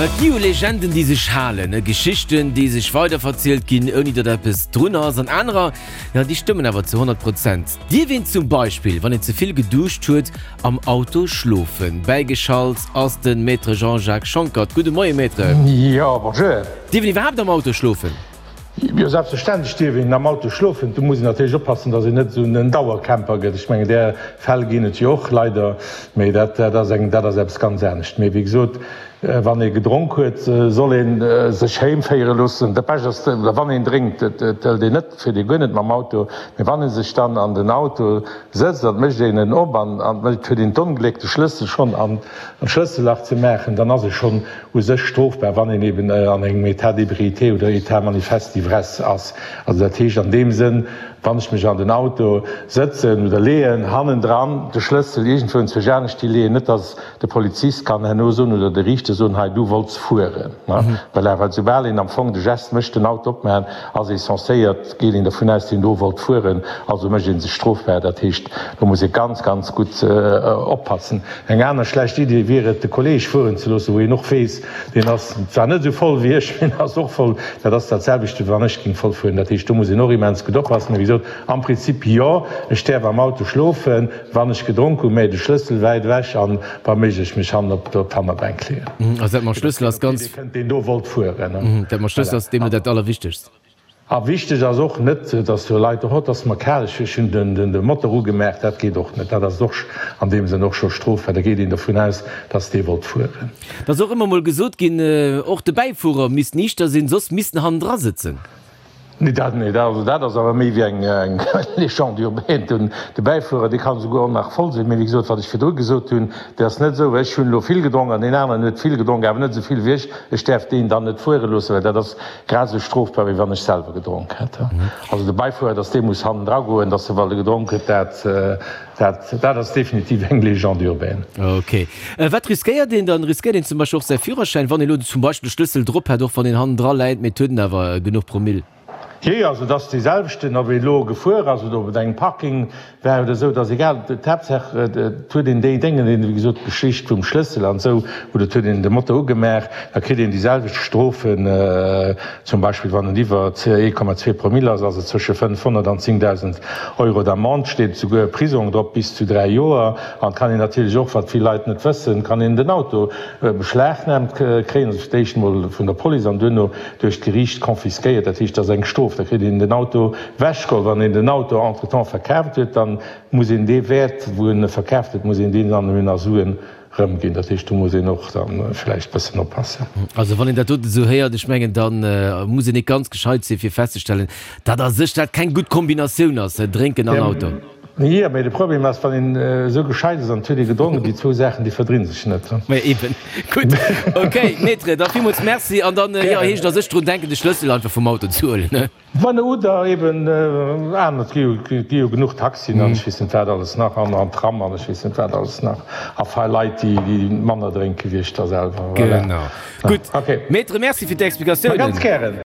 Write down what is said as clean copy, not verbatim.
Et gi jo Legenden, déi sech halen, Geschichten, déi sech weiderverzielt ginn, ouni datt eppes drun ass, an anerer, jo, déi stëmmen awer zu 100 Prozent. Dierf een zum Beispill, wann een ze vill geduscht huet, am Auto schlofen? Bäigeschalt ass de Maître Jean-Jacques Schonckert. Gudde Moie, Maître. Jo, bonjour. Dierf een iwwerhaapt am Auto schlofen? Jo, selbstverständlech dierf een am Auto schlofen. Do muss een natierlech oppassen, datt een net esou en Dauercamper gëtt. Ech mengen, där Fäll ginn et jo och leider, mee dat, dat ass eng, dat ass eppes ganz anescht. Mee wéi gesot, wann ee gedronk huet, soll ee sech heem féiere loossen. Dat Bescht ass, oder wann een drénkt, et hëlt een net, fiert ee guer net mam Auto, mee wann ee sech dann an den Auto sëtzt an et mécht een en op an et huet een d'Ongléck, de Schlëssel schonn an d'Schlëssellach ze maachen, dann ass ee schonn u sech strofbar, wann een eben an engem État d'ébriété oder État manifeste d'ivresse ass. Also dat heescht an deem Sënn, wann ech mech an den Auto sëtzen oder leeën, hannendran de Schlëssel iergendwou enzwousch anescht hi leeën, net datt de Polizist kann herno soen oder de Riichter soen, hei du wollts fueren. Voilà, well soubal een am Fong de Geste mécht, den Auto opmaachen, ass ee censéiert, geet een dervun aus, deen do wollt fueren, also mécht ee sech strofbar. Dat heescht, do muss ee ganz, ganz gutt oppassen. Eng aner schlecht Idee wier et, de Kolleg fueren ze loossen, wou een och weess, deen ass zwar net esou voll wéi ech, mee en ass och voll. Dat ass dat selwecht, wéi wann ech géing voll fueren. Dat heescht, do muss een och immens gutt oppassen. Mee wéi gesot, am Prinzip jo, ech däerf am Auto schlofen, wann ech gedronk hunn, mä de Schlëssel wäit ewech an wa méiglech mech hannen op d'Hannerbänk leeën. Also dat mam Schlëssel ass ganz. Deen do wollt fueren. Dat mam Schlëssel ass deemno dat Allerwichtegst. A wichteg ass och net, dass do Leit, oh, et ass mer kal, ech hunn de Motor ugemaach, dat geet och net. Dat ass och an deem Sënn och scho strofbar. Da geet een dovun aus, dass dee wollt fueren. Et ass och ëmmer mol gesot ginn, och de Bäifuerer misst niichter sinn, soss misst en hannendra sëtzen. Nee, dat, nee, dat, also dat ass awer méi wéi eng Légende urbaine. Den, de Bäifuerer, dee kann esouguer och nach voll sinn. Mee wéi gesot, wat ech virdru gesot hunn, dat ass net esou, ech hunn elo vill gedronk an deen aneren huet vill gedronk, awer net esou vill wéi ech, ech däerf deen dann net fuere loossen, well dat ass Grad esou strofbar wéi wann ech selwer gedronk hätt. Also de Beifuerer, dass dee muss hannendra goen, dass e well e gedronk huet, dat, dat, dat ass definitiv eng Légende urbaine. Ok. Wat riskéiert een dann? Riskéiert een zum Beispill och säi Führerschäin, wann een elo zum Beispill de Schlëssel drop hätt, och wann een hannendra läit, mee et huet en awer genuch Promill? Jee, also et ass dee selwechten, ob ee lo gefuer ass oder ob et engem Parking war oder esou, et ass egal. D'Haaptsaach, et huet een déi Déngen, wéi gesot, d'Geschicht vum Schlëssel an esou, oder et huet een de Motor ugemaach, da kritt een déi selwecht Strofen. Zum Beispill wann en iwwer 1,2 Promille ass, ass et zwësche 500 an 10.000 Euro d'Amende, steet souguer Prisong drop bis zu 3 Joer. An et kann een natierlech och, wat vill Leit net wëssen, kann een den Auto beschlagnaamt kréien, also fir d'éischt emol vun der Police an duerno duerch d'Geriicht confisquéiert, dat heescht, dat ass eng Strof, da kritt een den Auto wechgeholl. Wann een den Auto entretemps verkaaft huet, da muss een dee Wäert, wou en e verkaaft huet, muss een deen dann un a Suen erëmginn. Dat heescht, do muss een och da vläicht e bëssen oppassen. Also wann een dat doten esou héiert, ech mengen, da muss een net ganz gescheit sinn, fir festzestellen, datt a sech dat keng gutt Kombinatioun ass, Drénken an Auto. Jo, mee de Problem ass, wann een esou gescheit ass an et huet ee gedronken, déi zwou Saachen, déi verdrinn sech net. Mä eben. Gutt, ok, Maître, da villmools Merci. An dann, jo, heescht et a sech drun denken, de Schlëssel einfach vum Auto ze huelen, ne? Wann, oder eben aner, et gi jo genuch Taxien an ech weess net wat alles nach, an an Tram an ech weess net wat alles nach, a fei Leit, déi manner drénke wéi ech da selwer. Voilà. Genau. Gutt, Maître, Merci fir d'Explikatiounen. Ma ganz gären.